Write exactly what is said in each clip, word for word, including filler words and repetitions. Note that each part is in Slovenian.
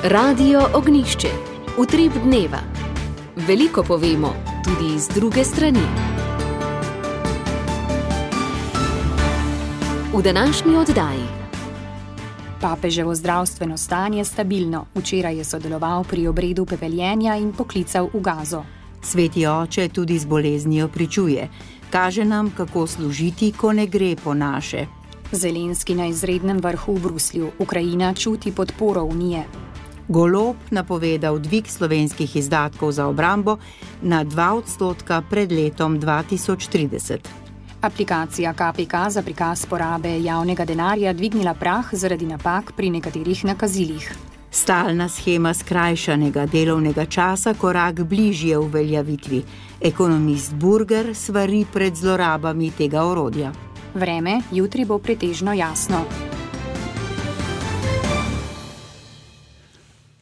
Radio Ognišče, utrip dneva. Veliko povemo, tudi z druge strani. V današnji oddaji. Papeževo zdravstveno stanje stabilno. Včeraj je sodeloval pri obredu pepeljenja in poklical v Gazo. Sveti oče tudi z boleznijo pričuje. Kaže nam, kako služiti, ko ne gre po naše. Zelenski na izrednem vrhu v Bruslju. Ukrajina čuti podporo Unije. Golob napovedal dvig slovenskih izdatkov za obrambo na dva odstotka pred letom dva tisoč trideset. Aplikacija K P K za prikaz porabe javnega denarja dvignila prah zaradi napak pri nekaterih nakazilih. Stalna shema skrajšanega delovnega časa korak bližje uveljavitvi. Ekonomist Burger svari pred zlorabami tega orodja. Vreme jutri bo pretežno jasno.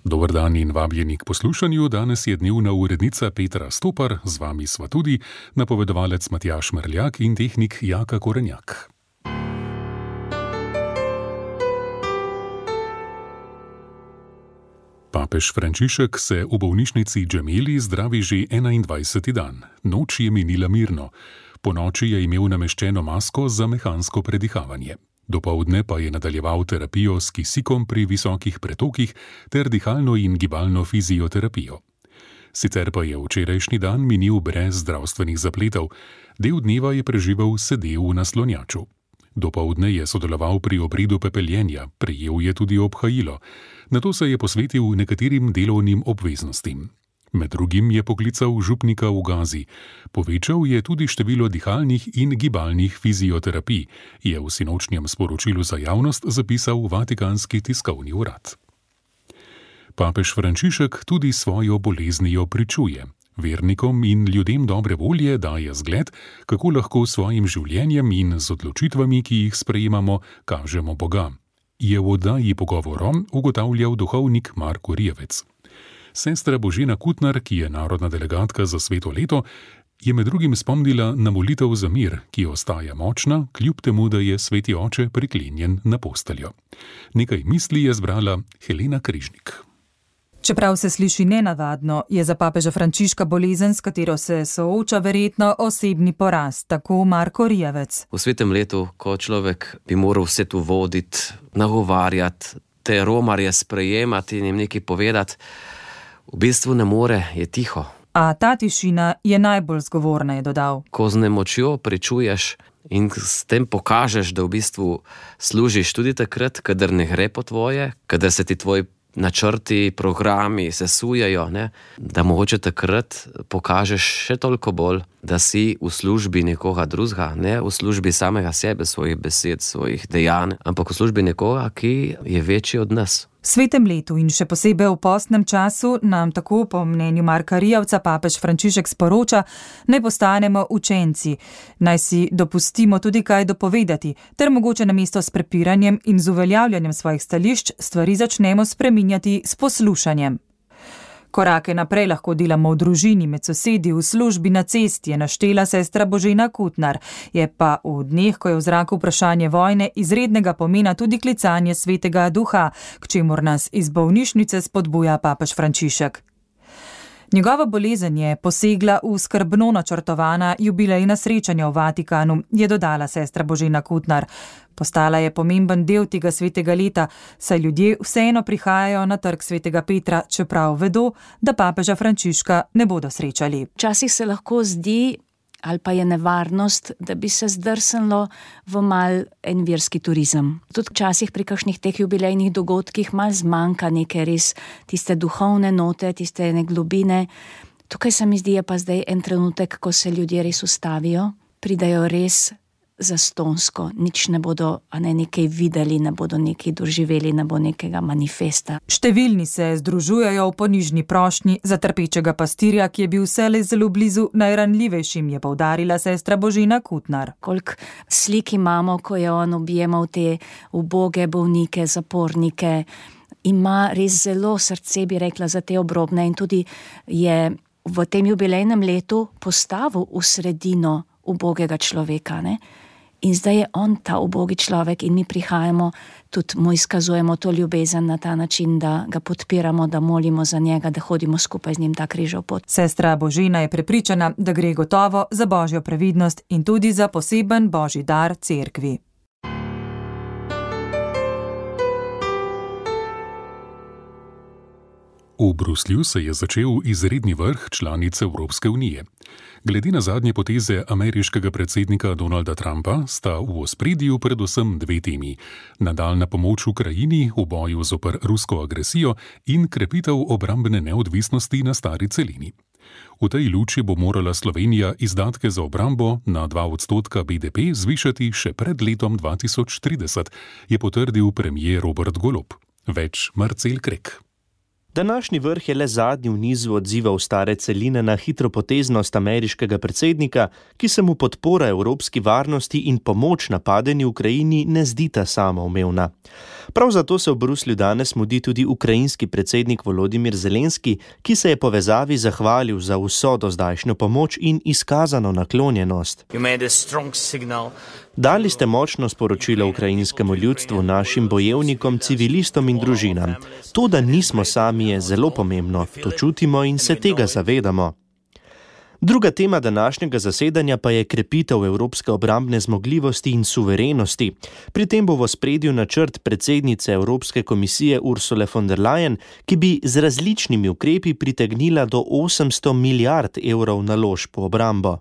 Dober dan in vabljeni k poslušanju. Danes je dnevna urednica Petra Stopar, z vami sva tudi napovedovalec Matjaž Merljak in tehnik Jaka Korenjak. Papež Frančišek se v bolnišnici Gemelli zdravi že enaindvajseti dan. Noč je minila mirno. Po noči je imel nameščeno masko za mehansko predihavanje. Dopoldne pa je nadaljeval terapijo s kisikom pri visokih pretokih ter dihalno in gibalno fizioterapijo. Sicer pa je včerajšnji dan minil brez zdravstvenih zapletov. Del dneva je preživel sedel v naslonjaču. Dopoldne je sodeloval pri obredu pepeljenja, prejel je tudi obhajilo. Nato se je posvetil nekaterim delovnim obveznostim. Med drugim je poklical župnika v Gazi. Povečal je tudi število dihalnih in gibalnih fizioterapij, je v sinočnjem sporočilu za javnost zapisal Vatikanski tiskovni urad. Papež Frančišek tudi svojo boleznijo pričuje. Vernikom in ljudem dobre volje daje zgled, kako lahko s svojim življenjem in z odločitvami, ki jih sprejemamo, kažemo Boga. Je v oddaji Pogovorom ugotavljal duhovnik Marko Rijevec. Sestra Božena Kutnar, ki je narodna delegatka za sveto leto, je med drugim spomnila na molitev za mir, ki ostaja močna, kljub temu, da je sveti oče priklenjen na posteljo. Nekaj misli je zbrala Helena Križnik. Čeprav se sliši nenavadno, je za papeža Frančiška bolezen, s katero se sooča, verjetno osebni poraz, tako Marko Rijevec. V svetem letu, ko človek bi moral vse tu voditi, nagovarjati, te romarje sprejemati in jim nekaj povedati, v bistvu ne more, je tiho. A ta tišina je najbolj zgovorna, je dodal. Ko z nemočjo pričuješ in s tem pokažeš, da v bistvu služiš tudi takrat, kadar ne gre po tvoje, kadar se ti tvoji načrti, programi sesujejo, ne? Da mogoče takrat pokažeš še toliko bolj, da si v službi nekoga drugega, ne v službi samega sebe, svojih besed, svojih dejanj, ampak v službi nekoga, ki je večji od nas. V svetem letu in še posebej v postnem času nam tako po mnenju Marka Rijevca papež Frančišek sporoča, naj postanemo učenci, naj si dopustimo tudi kaj dopovedati, ter mogoče namesto s prepiranjem in z uveljavljanjem svojih stališč stvari začnemo spreminjati s poslušanjem. Korake naprej lahko delamo v družini, med sosedi, v službi, na cesti, je naštela sestra Božena Kutnar. Je pa v dneh, ko je v zraku vprašanje vojne, izrednega pomena tudi klicanje svetega duha, k čemur nas iz bolnišnice spodbuja papež Frančišek. Njegova bolezen je posegla v skrbno načrtovana jubilejna srečanja v Vatikanu, je dodala sestra Božena Kutnar. Postala je pomemben del tega svetega leta, saj ljudje vseeno prihajajo na trg svetega Petra, čeprav vedo, da papeža Frančiška ne bodo srečali. Včasih se lahko zdi, ali pa je nevarnost, da bi se zdrsnilo v mal en verski turizem. Tudi včasih pri kakšnih teh jubilejnih dogodkih mal zmanjka neke res tiste duhovne note, tiste ene globine. Tukaj se mi zdi, je pa zdaj en trenutek, ko se ljudje res ustavijo, pridajo res zastonsko, nič ne bodo, a ne nekaj videli, ne bodo nekaj doživeli, ne bo nekega manifesta. Številni se združujejo v ponižni prošnji za trpečega pastirja, ki je bil vselej zelo blizu najranljivejšim, je poudarila sestra Božena Kutnar. Koliko slik imamo, ko je on objemal te uboge bolnike, zapornike, ima res zelo srce, bi rekla, za te obrobne in tudi je v tem jubilejnem letu postavil v sredino ubogega človeka, ne? In zdaj je on ta ubogi človek in mi prihajamo, tudi mu izkazujemo to ljubezen na ta način, da ga podpiramo, da molimo za njega, da hodimo skupaj z njim ta križov pot. Sestra Božina je prepričana, da gre gotovo za božjo previdnost in tudi za poseben božji dar cerkvi. V Bruslju se je začel izredni vrh članic Evropske unije. Glede na zadnje poteze ameriškega predsednika Donalda Trumpa sta v ospredju predvsem dve temi: nadaljna pomoč Ukrajini v boju zoper rusko agresijo in krepitev obrambne neodvisnosti na stari celini. V tej luči bo morala Slovenija izdatke za obrambo na dva odstotka B D P zvišati še pred letom dva tisoč trideset, je potrdil premier Robert Golob. Več Marcel Krek. Današnji vrh je le zadnji v nizu odzivov stare celine na hitropoteznost ameriškega predsednika, ki se mu podpora evropski varnosti in pomoč napadeni Ukrajini ne zdita samoumevna. Prav zato se v Bruslju danes mudi tudi ukrajinski predsednik Volodimir Zelenski, ki se je povezavi zahvalil za vso dozdajšnjo pomoč in izkazano naklonjenost. Dali ste močno sporočilo ukrajinskemu ljudstvu, našim bojevnikom, civilistom in družinam. To, da nismo sami, je zelo pomembno. To čutimo in se tega zavedamo. Druga tema današnjega zasedanja pa je krepitev evropske obrambne zmogljivosti in suverenosti. Pri tem bo v ospredju načrt predsednice Evropske komisije Ursule von der Leyen, ki bi z različnimi ukrepi pritegnila do osemsto milijard evrov naložb v obrambo.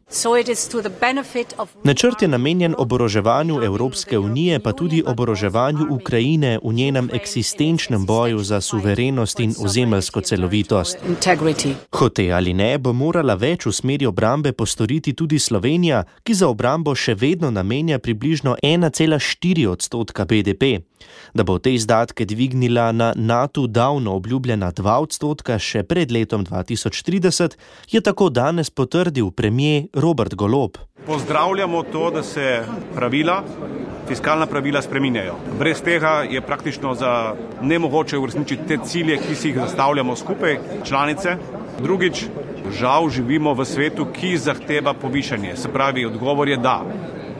Načrt je namenjen oboroževanju Evropske unije, pa tudi oboroževanju Ukrajine v njenem eksistenčnem boju za suverenost in ozemeljsko celovitost. Hote ali ne, bo morala več usmeriti obrambe postoriti tudi Slovenija, ki za obrambo še vedno namenja približno ena cela štiri odstotka B D P. Da bo te izdatke dvignila na NATO davno obljubljena dva odstotka še pred letom dva tisoč trideset, je tako danes potrdil premier Robert Golob. Pozdravljamo to, da se pravila, fiskalna pravila spreminjajo. Brez tega je praktično za nemogoče uresničiti te cilje, ki si jih zastavljamo skupaj, članice. Drugič, žal živimo v svetu, ki zahteva povišanje. Se pravi, odgovor je da.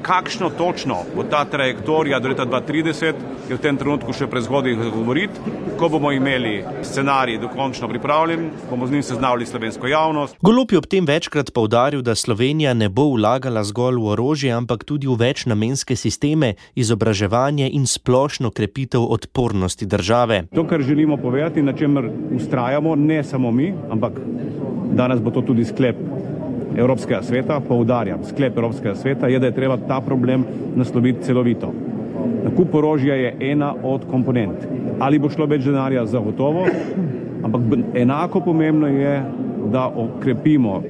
Kakšno točno bo ta trajektorija do leta dva tisoč trideset, je v tem trenutku še prezgodaj govoriti. Ko bomo imeli scenarij dokončno pripravljen, bomo z njim seznanili slovensko javnost. Golob je ob tem večkrat poudaril, da Slovenija ne bo vlagala zgolj v orožje, ampak tudi v večnamenske sisteme, izobraževanje in splošno krepitev odpornosti države. To, kar želimo povedati, na čemer vztrajamo, ne samo mi, ampak danes bo to tudi sklep Evropskega sveta, poudarjam, sklep Evropskega sveta je, da je treba ta problem nasloviti celovito. Nakup orožja je ena od komponent. Ali bo šlo več denarja, zagotovo, ampak enako pomembno je, da okrepimo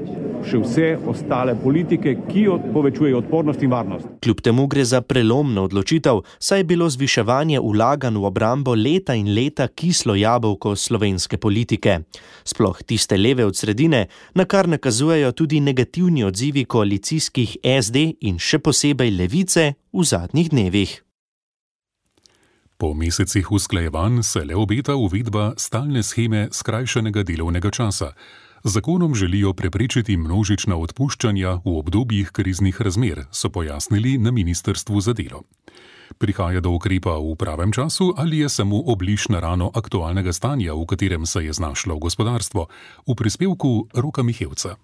še vse ostale politike, ki povečujejo odpornost in varnost. Kljub temu gre za prelomno odločitev, saj je bilo zviševanje vlaganj v obrambo leta in leta kislo jabolko slovenske politike. Sploh tiste leve od sredine, na kar nakazujejo tudi negativni odzivi koalicijskih S D in še posebej Levice v zadnjih dnevih. Po mesecih usklajevanj se le obeta uvedba stalne sheme skrajšanega delovnega časa. Z zakonom želijo preprečiti množična odpuščanja v obdobjih kriznih razmer, so pojasnili na Ministrstvu za delo. Prihaja do ukrepa v pravem času ali je samo obliž na rano aktualnega stanja, v katerem se je znašlo gospodarstvo? V prispevku Roka Mihevca.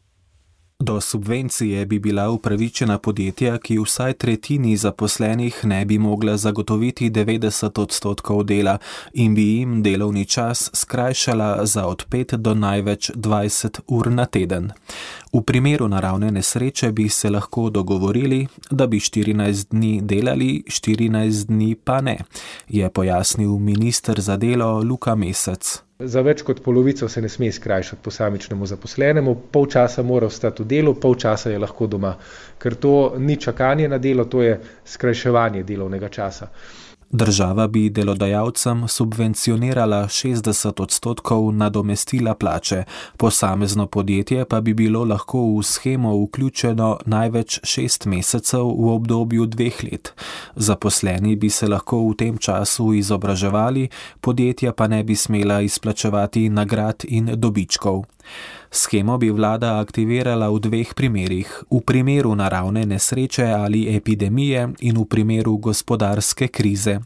Do subvencije bi bila upravičena podjetja, ki vsaj tretjini zaposlenih ne bi mogla zagotoviti devetdeset odstotkov dela in bi jim delovni čas skrajšala za od pet do največ dvajset ur na teden. V primeru naravne nesreče bi se lahko dogovorili, da bi štirinajst dni delali, štirinajst dni pa ne, je pojasnil minister za delo Luka Mesec. Za več kot polovico se ne sme skrajšati posamičnemu zaposlenemu, pol časa mora ostati v delu, pol časa je lahko doma, ker to ni čakanje na delo, to je skrajševanje delovnega časa. Država bi delodajalcem subvencionirala šestdeset odstotkov nadomestila plače, posamezno podjetje pa bi bilo lahko v shemo vključeno največ šest mesecev v obdobju dveh let. Zaposleni bi se lahko v tem času izobraževali, podjetja pa ne bi smela izplačevati nagrad in dobičkov. Shemo bi vlada aktivirala v dveh primerih, v primeru naravne nesreče ali epidemije in v primeru gospodarske krize.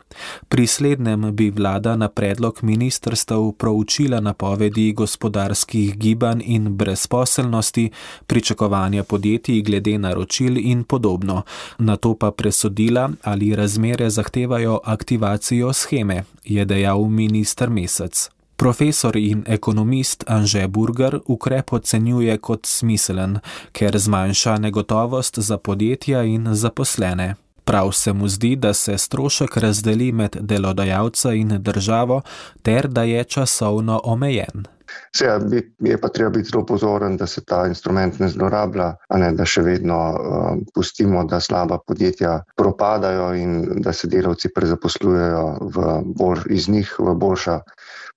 Pri slednjem bi vlada na predlog ministrstev proučila napovedi gospodarskih gibanj in brezposelnosti, pričakovanja podjetij glede naročil in podobno. Nato pa presodila, ali razmere zahtevajo aktivacijo sheme, je dejal minister Mesec. Profesor in ekonomist Anže Burger ukrep ocenjuje kot smiselen, ker zmanjša negotovost za podjetja in zaposlene. Prav se mu zdi, da se strošek razdeli med delodajalca in državo ter da je časovno omejen. Seveda je pa treba biti zelo pozoren, da se ta instrument ne zlorablja, a ne da še vedno uh, pustimo, da slaba podjetja propadajo in da se delavci prezaposlujejo v bolj, iz njih v boljša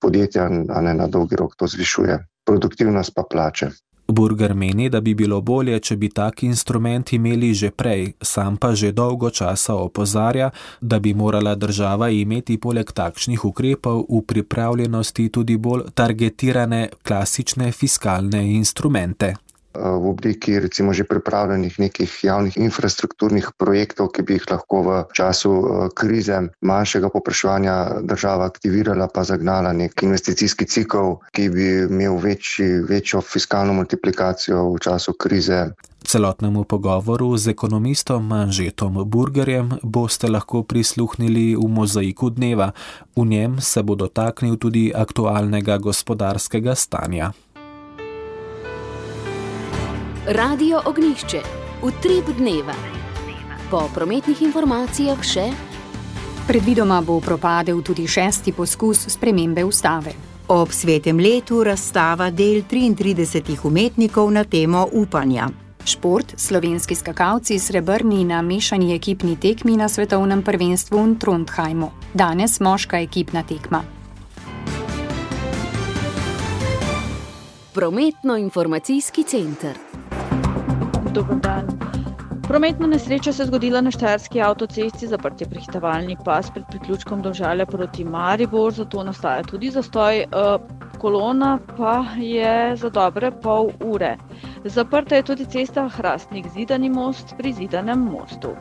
podjetja, a ne na dolgi rok to zvišuje produktivnost pa plače. Burger meni, da bi bilo bolje, če bi tak instrument imeli že prej, sam pa že dolgo časa opozarja, da bi morala država imeti poleg takšnih ukrepov v pripravljenosti tudi bolj targetirane klasične fiskalne instrumente. V obliki recimo že pripravljenih nekih javnih infrastrukturnih projektov, ki bi jih lahko v času krize manjšega povpraševanja država aktivirala pa zagnala nek investicijski cikel, ki bi imel večji, večjo fiskalno multiplikacijo v času krize. Celotnemu pogovoru z ekonomistom Anžetom Burgerjem boste lahko prisluhnili v Mozaiku dneva. V njem se bo dotaknil tudi aktualnega gospodarskega stanja. Radio Ognjišče, utrip dneva. Po prometnih informacijah še. Predvidoma bo propadel tudi šesti poskus spremembe ustave. Ob svetem letu razstava del triintridesetih umetnikov na temo upanja. Šport, slovenski skakalci srebrni na mešani ekipni tekmi na svetovnem prvenstvu v Trondheimu. Danes moška ekipna tekma. Prometno-informacijski center. Dober dan. Prometna nesreča se je zgodila na štajerski avtocesti, zaprt je prehitevalni pas pred priključkom Domžale proti Maribor, zato nastaja tudi zastoj. Kolona pa je za dobre pol ure. Zaprta je tudi cesta Hrastnik-Zidani most pri Zidanem mostu.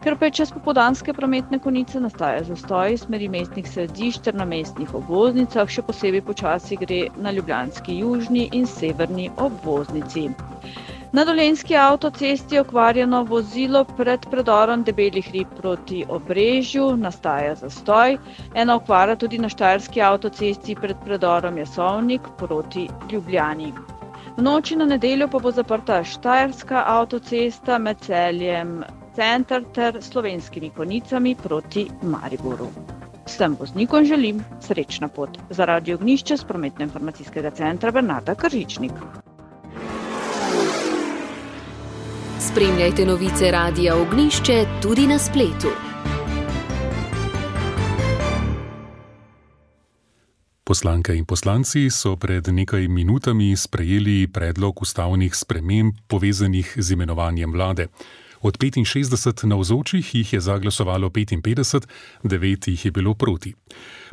Ker pa je čez popoldanske prometne konice nastaja zastoj smeri mestnih središč ter na mestnih obvoznicah, še posebej počasi gre na ljubljanski južni in severni obvoznici. Na dolenjski avtocesti je okvarjeno vozilo pred predorom Debeli hrib proti Obrežju, nastaja zastoj. Ena okvara tudi na štajerski avtocesti pred predorom Jasovnik proti Ljubljani. V noči na nedeljo pa bo zaprta štajerska avtocesta med Celjem center ter Slovenskimi Konicami proti Mariboru. Vsem voznikom želim srečna pot. Za Radio Ognjišče s prometno-informacijskega centra Bernarda Kržičnik. Spremljajte novice Radia Ognjišče tudi na spletu. Poslanke in poslanci so pred nekaj minutami sprejeli predlog ustavnih sprememb povezanih z imenovanjem vlade. Od petinšestdeset navzočih jih je zaglasovalo petinpetdeset, devet jih je bilo proti.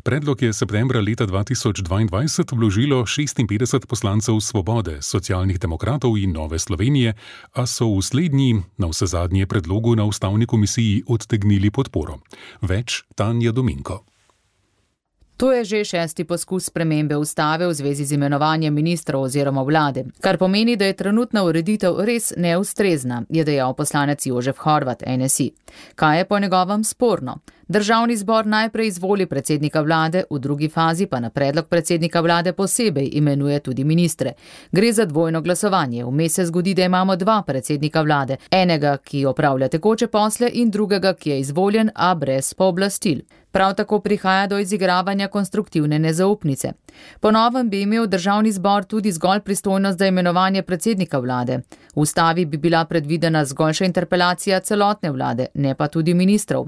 Predlog je septembra leta dva tisoč dvaindvajset vložilo šestinpetdeset poslancev Svobode, Socialnih demokratov in Nove Slovenije, a so v slednji na vsezadnje predlogu na ustavni komisiji odtegnili podporo. Več Tanja Dominko. To je že šesti poskus spremembe ustave v zvezi z imenovanjem ministrov oziroma vlade, kar pomeni, da je trenutna ureditev res neustrezna, je dejal poslanec Jožef Horvat, N S I. Kaj je po njegovem sporno? Državni zbor najprej izvoli predsednika vlade, v drugi fazi pa na predlog predsednika vlade posebej imenuje tudi ministre. Gre za dvojno glasovanje. Vmes se zgodi, da imamo dva predsednika vlade, enega, ki opravlja tekoče posle in drugega, ki je izvoljen, a brez pooblastil. Prav tako prihaja do izigravanja konstruktivne nezaupnice. Po novem bi imel državni zbor tudi zgolj pristojnost za imenovanje predsednika vlade. V ustavi bi bila predvidena zgolj še interpelacija celotne vlade, ne pa tudi ministrov.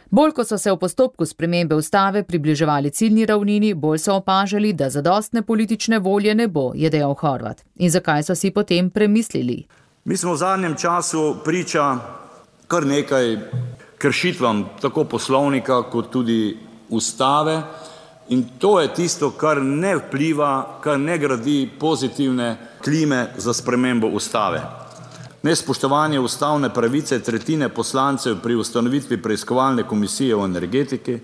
Bolj ko so se v postopku spremembe ustave približevali ciljni ravnini, bolj so opažali, da zadostne politične volje ne bo, je dejal Horvat. In zakaj so si potem premislili? Mi smo v zadnjem času priča kar nekaj kršitvam tako poslovnika kot tudi ustave in to je tisto, kar ne vpliva, kar ne gradi pozitivne klime za spremembo ustave. Nespoštovanje ustavne pravice tretjine poslancev pri ustanovitvi preiskovalne komisije o energetiki,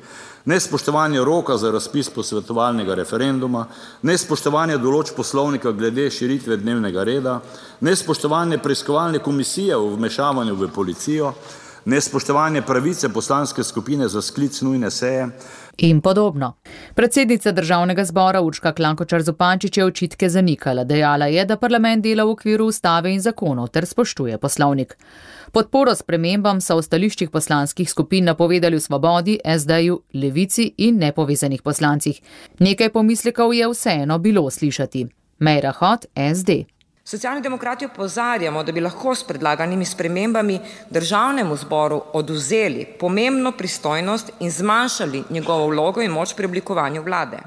nespoštovanje roka za razpis posvetovalnega referenduma, nespoštovanje določb poslovnika glede širitve dnevnega reda, nespoštovanje preiskovalne komisije o vmešavanju v policijo, nespoštovanje pravice poslanske skupine za sklic nujne seje in podobno. Predsednica Državnega zbora Urška Klakočar Zupančič je očitke zanikala. Dejala je, da parlament dela v okviru ustave in zakonov ter spoštuje poslovnik. Podporo spremembam so v stališčih poslanskih skupin napovedali v Svobodi, es de-ju, Levici in nepovezanih poslancih. Nekaj pomislekov je vseeno bilo slišati. Meira Hot, es de. Socialni demokrati opozarjamo, da bi lahko s predlaganimi spremembami Državnemu zboru odvzeli pomembno pristojnost in zmanjšali njegovo vlogo in moč pri oblikovanju vlade.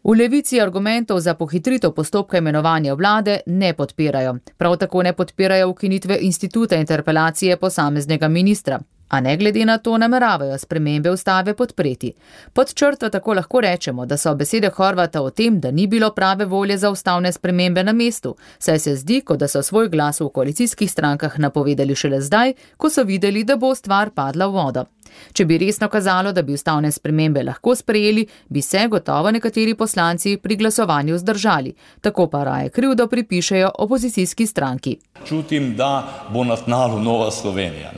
V Levici argumentov za pohitritev postopka imenovanja vlade ne podpirajo. Prav tako ne podpirajo ukinitve instituta interpelacije posameznega ministra. A ne glede na to nameravajo spremembe ustave podpreti. Pod črto tako lahko rečemo, da so besede Horvata o tem, da ni bilo prave volje za ustavne spremembe na mestu, saj se zdi, kot da so svoj glas v koalicijskih strankah napovedali šele zdaj, ko so videli, da bo stvar padla v vodo. Če bi resno kazalo, da bi ustavne spremembe lahko sprejeli, bi se gotovo nekateri poslanci pri glasovanju zdržali. Tako pa raje krivdo pripišejo opozicijski stranki. Čutim, da bo na tnalu Nova Slovenija.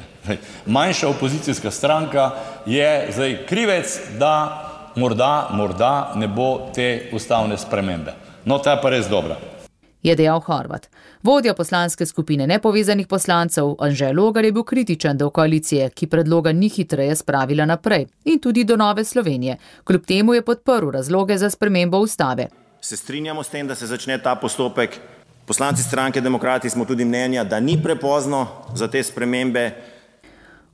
Manjša opozicijska stranka je zdaj krivec, da morda, morda ne bo te ustavne spremembe. No, ta je pa res dobra. Je dejal Horvat. Vodja poslanske skupine nepovezanih poslancev Anže Logar je bil kritičen do koalicije, ki predloga ni hitreje spravila naprej, in tudi do Nove Slovenije. Kljub temu je podprl razloge za spremembo ustave. Se strinjamo s tem, da se začne ta postopek. Poslanci stranke Demokrati smo tudi mnenja, da ni prepozno za te spremembe.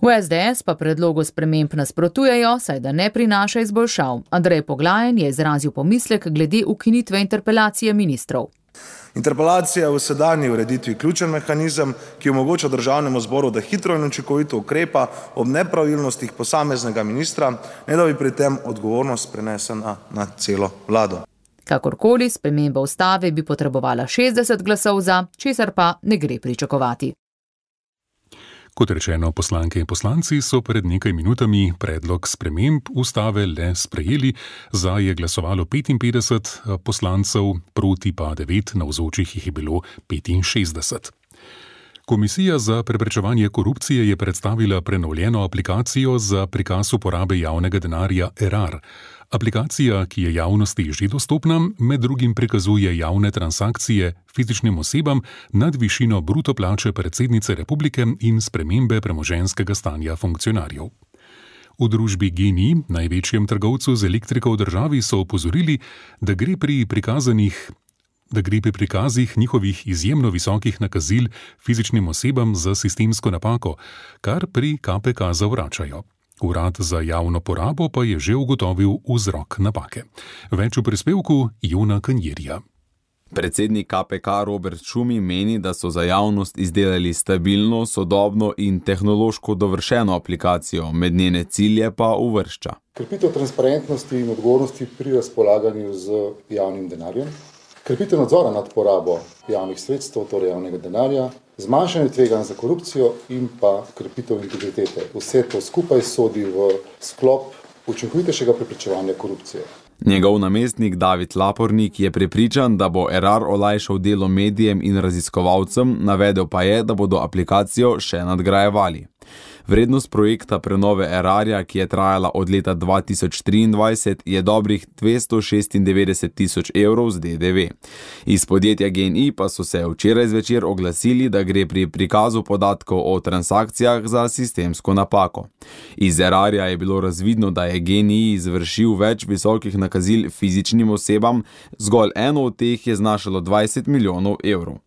V es de es pa predlogu sprememb nasprotujejo, saj da ne prinaša izboljšav. Andrej Poglajen je izrazil pomislek glede ukinitve interpelacije ministrov. Interpelacija je v sedanji ureditvi ključen mehanizem, ki omogoča Državnemu zboru, da hitro in učinkovito ukrepa ob nepravilnostih posameznega ministra, ne da bi pri tem odgovornost prenesena na celo vlado. Kakorkoli, sprememba ustave bi potrebovala šestdeset glasov za, česar pa ne gre pričakovati. Kot rečeno, poslanke in poslanci so pred nekaj minutami predlog sprememb ustave le sprejeli, za je glasovalo petinpetdeset poslancev, proti pa devet, navzočih jih je bilo petinšestdeset. Komisija za preprečevanje korupcije je predstavila prenovljeno aplikacijo za prikaz uporabe javnega denarja Erar. Aplikacija, ki je javnosti že dostopna, med drugim prikazuje javne transakcije fizičnim osebam nad višino bruto plače predsednice republike in spremembe premoženjskega stanja funkcionarjev. V družbi Gen-I, največjem trgovcu z elektriko v državi, so opozorili, da gre pri prikazanih da gre pri prikazih njihovih izjemno visokih nakazil fizičnim osebam za sistemsko napako, kar pri ka pe ka zavračajo. Urad za javno porabo pa je že ugotovil vzrok napake. Več v prispevku Jona Kanjerja. Predsednik ka pe ka Robert Šumi meni, da so za javnost izdelali stabilno, sodobno in tehnološko dovršeno aplikacijo, med njene cilje pa uvršča. Krepitev transparentnosti in odgovornosti pri razpolaganju z javnim denarjem, krepitev nadzora nad porabo javnih sredstev, torej javnega denarja, zmanjšanje tveganj za korupcijo in pa krepitev integritete. Vse to skupaj sodi v sklop učinkovitejšega preprečevanja korupcije. Njegov namestnik David Lapornik je prepričan, da bo Erar olajšal delo medijem in raziskovalcem, navedel pa je, da bodo aplikacijo še nadgrajevali. Vrednost projekta prenove Erarja, ki je trajala od leta dva tisoč triindvajset, je dobrih dvesto šestindevetdeset tisoč evrov z de de ve. Iz podjetja Gen-I pa so se včeraj zvečer oglasili, da gre pri prikazu podatkov o transakcijah za sistemsko napako. Iz Erarja je bilo razvidno, da je Gen-I izvršil več visokih nakazil fizičnim osebam, zgolj eno od teh je znašalo dvajset milijonov evrov.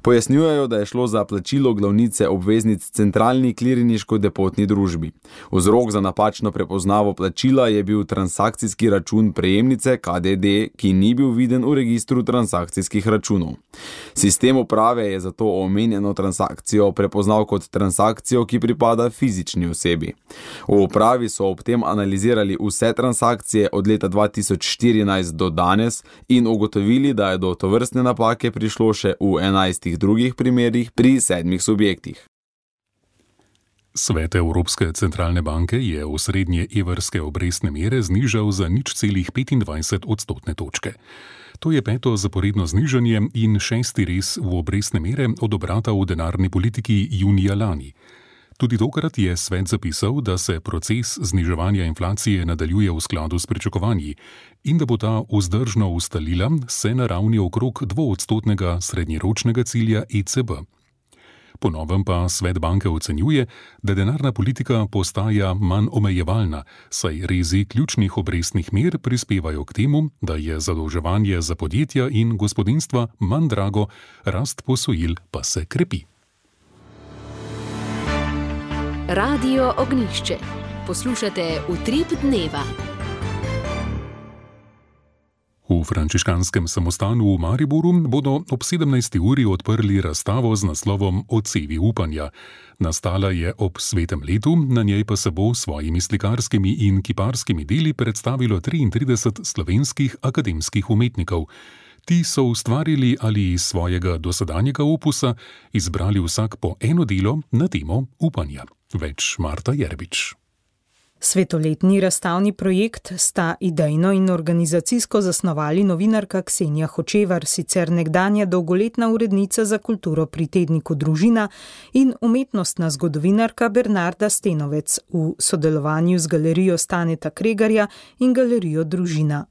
Pojasnjujejo, da je šlo za plačilo glavnice obveznic centralni kliriniško-depotni družbi. Vzrok za napačno prepoznavo plačila je bil transakcijski račun prejemnice K D D, ki ni bil viden v registru transakcijskih računov. Sistem uprave je zato omenjeno transakcijo prepoznal kot transakcijo, ki pripada fizični osebi. V upravi so ob tem analizirali vse transakcije od leta dva tisoč štirinajst do danes in ugotovili, da je do tovrstne napake prišlo še v enajstih drugih primerih pri sedmih subjektih. Svet Evropske centralne banke je osrednje evrske obrestne mere znižal za nič celih petindvajset odstotne točke. To je peto zaporedno znižanje in šesti res v obrestne mere od obrata v denarni politiki junija lani. Tudi tokrat je svet zapisal, da se proces zniževanja inflacije nadaljuje v skladu s pričakovanji in da bo ta vzdržno ustalila se na ravni okrog dvoodstotnega srednjeročnega cilja E C B. Po novem pa svet banke ocenjuje, da denarna politika postaja manj omejevalna, saj rezi ključnih obrestnih mer prispevajo k temu, da je zadolževanje za podjetja in gospodinjstva manj drago, rast posojil pa se krepi. Radio Ognjišče. Poslušate Utrip dneva. V frančiškanskem samostanu v Mariboru bodo ob sedemnajsti uri odprli razstavo z naslovom Odsevi upanja. Nastala je ob svetem letu, na njej pa se bo s svojimi slikarskimi in kiparskimi deli predstavilo triintrideset slovenskih akademskih umetnikov. Ti so ustvarili ali iz svojega dosedanjega opusa izbrali vsak po eno delo na temo upanja. Več Marta Jerbič. Svetoletni razstavni projekt sta idejno in organizacijsko zasnovali novinarka Ksenija Hočevar, sicer nekdanja dolgoletna urednica za kulturo pri tedniku Družina, in umetnostna zgodovinarka Bernarda Stenovec v sodelovanju z galerijo Staneta Kregarja in galerijo Družina.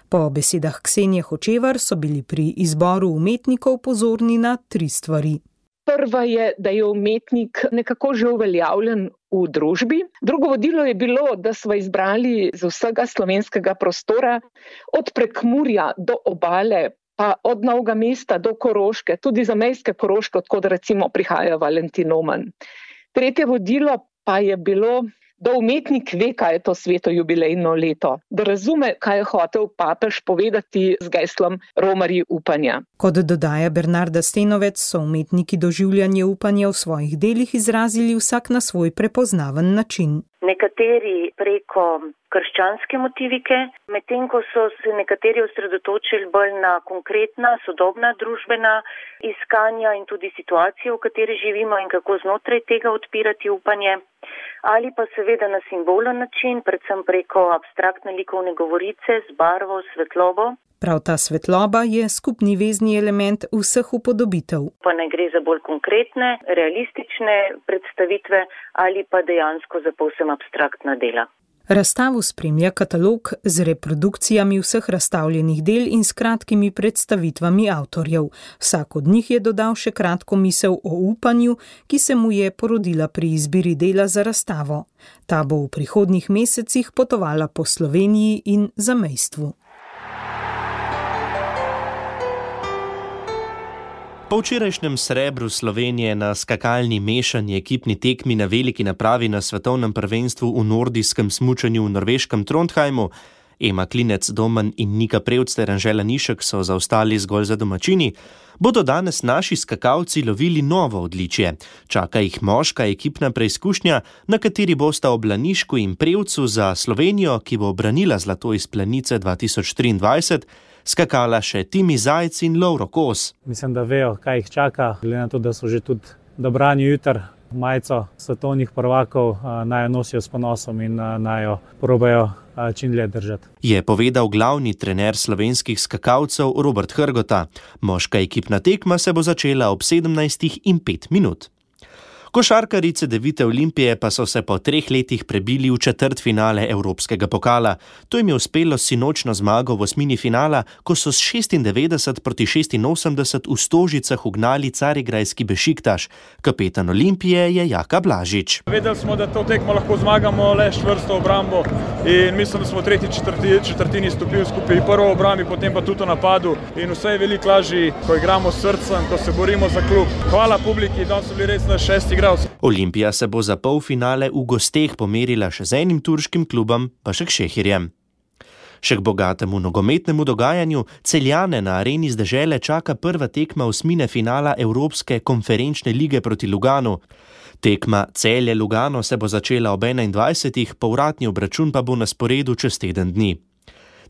Po besedah Ksenije Hočevar so bili pri izboru umetnikov pozorni na tri stvari. Prva je, da je umetnik nekako že uveljavljen v družbi. Drugo vodilo je bilo, da smo izbrali z vsega slovenskega prostora, od Prekmurja do obale, pa od Novega mesta do Koroške, tudi zamejske Koroške, odkod recimo prihaja Valentin Oman. Tretje vodilo pa je bilo, da umetnik ve, kaj je to sveto jubilejno leto, da razume, kaj je hotel papež povedati z geslom Romarji upanja. Kot dodaja Bernarda Stenovec, so umetniki doživljanje upanja v svojih delih izrazili vsak na svoj prepoznaven način. Nekateri preko krščanske motivike, medtem ko so se nekateri osredotočili bolj na konkretna, sodobna družbena iskanja in tudi situacije, v kateri živimo in kako znotraj tega odpirati upanje, ali pa seveda na simbolen način, predvsem preko abstraktne likovne govorice z barvo, svetlobo. Prav ta svetloba je skupni vezni element vseh upodobitev. Pa ne gre za bolj konkretne, realistične predstavitve ali pa dejansko za povsem abstraktna dela. Razstavo spremlja katalog z reprodukcijami vseh razstavljenih del in s kratkimi predstavitvami avtorjev. Vsak od njih je dodal še kratko misel o upanju, ki se mu je porodila pri izbiri dela za razstavo. Ta bo v prihodnjih mesecih potovala po Sloveniji in zamejstvu. Po včerajšnjem srebru Slovenije na skakalni mešanji ekipni tekmi na veliki napravi na svetovnem prvenstvu v nordijskem smučanju v norveškem Trondheimu, Ema Klinec-Domen in Nika Prevc ter Anžela Nišek so zaostali zgolj za domačini, bodo danes naši skakalci lovili novo odličje. Čaka jih moška ekipna preizkušnja, na kateri bosta ob Lanišku in Prevcu za Slovenijo, ki bo branila zlato iz planice dva tisoč triindvajset, skakala še Timi Zajc in Lovro Kos. Mislim, da vejo, kaj jih čaka, glede na to, da so že tudi dobrani jutr majico svetovnih prvakov, naj jo nosijo s ponosom in naj jo probajo čim dlje držati. Je povedal glavni trener slovenskih skakalcev Robert Hrgota. Moška ekipna tekma se bo začela ob sedemnajstih in pet minut. Košarkarji Cedevite Olimpije pa so se po treh letih prebili v četrtfinale Evropskega pokala. To jim je uspelo s sinočno zmago v osmini finala, ko so s šestindevetdeset proti šestinosemdeset v Stožicah ugnali carigrajski Bešiktaš. Kapetan Olimpije je Jaka Blažič. Vedeli smo, da to tekmo lahko zmagamo le s čvrsto obrambo in mislim, da smo v tretji četrti, četrtini stopili skupaj prvo v obrambi, potem pa tudi v napadu in vse je veliko lažje, ko igramo s srcem, ko se borimo za klub. Hvala publiki, danes so bili res na šesti. Olimpija se bo za polfinale v gosteh pomerila še z enim turškim klubom, pa še k Šehirjem. Še k bogatemu nogometnemu dogajanju Celjane na areni z dežele čaka prva tekma osmine finala Evropske konferenčne lige proti Luganu. Tekma Celje-Lugano se bo začela ob enaindvajsetih, povratni obračun pa bo na sporedu čez teden dni.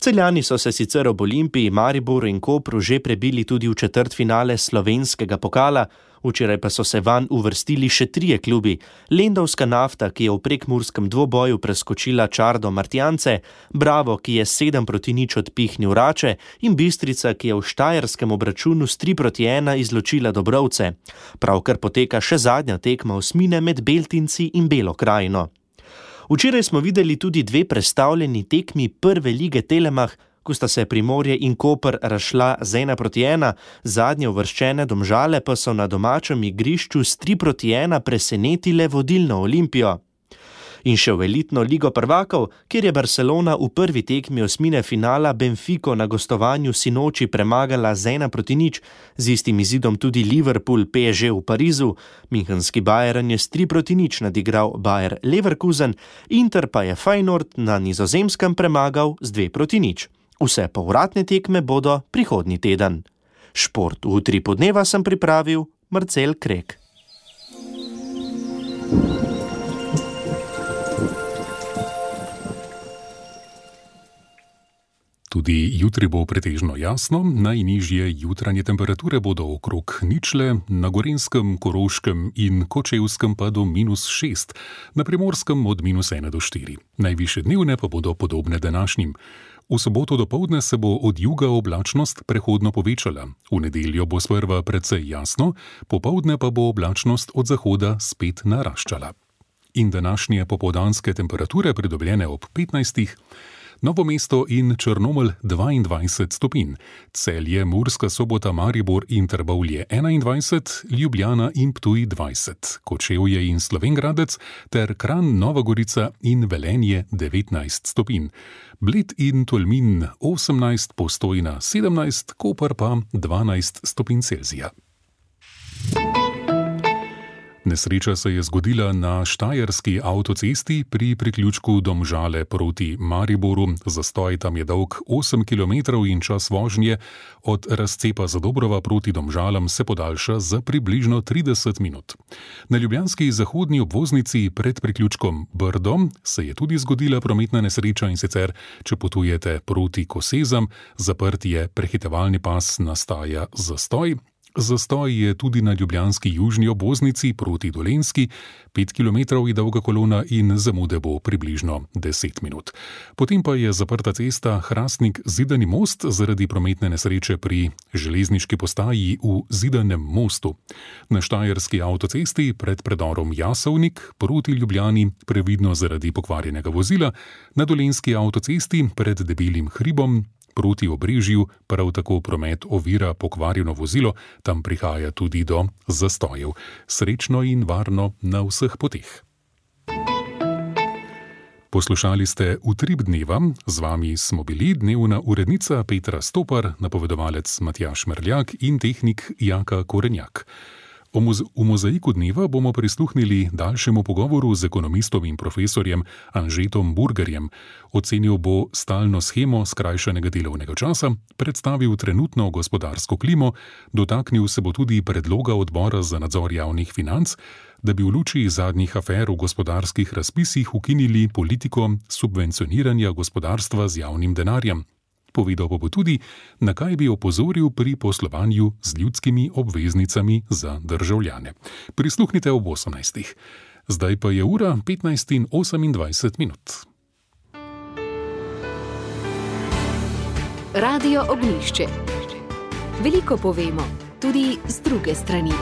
Celjani so se sicer ob Olimpiji, Mariboru in Kopru že prebili tudi v četrtfinale slovenskega pokala, včeraj pa so se vanj uvrstili še trije klubi. Lendavska Nafta, ki je v prekmurskem dvoboju preskočila Čardo Martjance, Bravo, ki je sedem proti nič odpihnil Rače in Bistrica, ki je v štajerskem obračunu s tri proti ena izločila Dobrovce. Pravkar poteka še zadnja tekma osmine med Beltinci in Belo krajino. Včeraj smo videli tudi dve prestavljeni tekmi prve lige Telemach, ko sta se Primorje in Koper razšla z ena proti ena, zadnje uvrščene Domžale pa so na domačem igrišču s tri proti ena presenetile vodilno Olimpijo. In še v elitno ligo prvakov, kjer je Barcelona v prvi tekmi osmine finala Benfico na gostovanju sinoči premagala z ena proti nič, z istim izidom tudi Liverpool P S G v Parizu, münchenski Bayern je s tri proti nič nadigral Bayer Leverkusen, Inter pa je Feyenoord na Nizozemskem premagal z dve proti nič. Vse povratne tekme bodo prihodnji teden. Šport v utripu dneva sem pripravil Marcel Krek. Tudi jutri bo pretežno jasno, najnižje jutranje temperature bodo okrog ničle, na Gorenjskem, Koroškem in Kočevskem pa do minus šest, na Primorskem od minus ena do štiri. Najvišje dnevne pa bodo podobne današnjim. V soboto dopoldne se bo od juga oblačnost prehodno povečala, v nedeljo bo sprva precej jasno, popoldne pa bo oblačnost od zahoda spet naraščala. In današnje popoldanske temperature pridobljene ob petnajstih, Novo mesto in Črnomelj dvaindvajset stopinj, Celje, Murska Sobota, Maribor in Trbovlje enaindvajset, Ljubljana in Ptuj dvajset, Kočevje in Slovenj Gradec ter Kranj, Nova Gorica in Velenje devetnajst stopinj, Bled in Tolmin osemnajst, Postojna sedemnajst, Koper pa dvanajst stopinj Celzija. Nesreča se je zgodila na štajerski avtocesti pri priključku Domžale proti Mariboru. Zastoj tam je dolg osem kilometrov in čas vožnje od razcepa Zadobrova proti Domžalam se podaljša za približno trideset minut. Na ljubljanski zahodni obvoznici pred priključkom Brdo se je tudi zgodila prometna nesreča in sicer, če potujete proti Kosezam, zaprt je prehitevalni pas, nastaja zastoj. Zastoj je tudi na ljubljanski južni obvoznici proti Dolenjski, pet kilometrov je dolga kolona in zamude bo približno deset minut. Potem pa je zaprta cesta Hrastnik-Zidani most zaradi prometne nesreče pri železniški postaji v Zidanem mostu. Na štajerski avtocesti pred predorom Jasovnik proti Ljubljani previdno zaradi pokvarjenega vozila, na dolenjski avtocesti pred Debelim hribom proti Obrežju prav tako promet ovira pokvarjeno vozilo, tam prihaja tudi do zastojev. Srečno in varno na vseh poteh. Poslušali ste Utrip dneva, z vami smo bili dnevna urednica Petra Stopar, napovedovalec Matjaž Merljak in tehnik Jaka Korenjak. V mozaiku dneva bomo prisluhnili daljšemu pogovoru z ekonomistom in profesorjem Anžetom Burgerjem. Ocenil bo stalno shemo skrajšanega delovnega časa, predstavil trenutno gospodarsko klimo, dotaknil se bo tudi predloga odbora za nadzor javnih financ, da bi v luči zadnjih afer v gospodarskih razpisih ukinili politiko subvencioniranja gospodarstva z javnim denarjem. Povedal pa bo tudi, na kaj bi opozoril pri poslovanju z ljudskimi obveznicami za državljane. Prisluhnite ob osemnajstih. Zdaj pa je ura petnajst in osemindvajset minut. Radio Ognjišče. Veliko povemo, tudi z druge strani.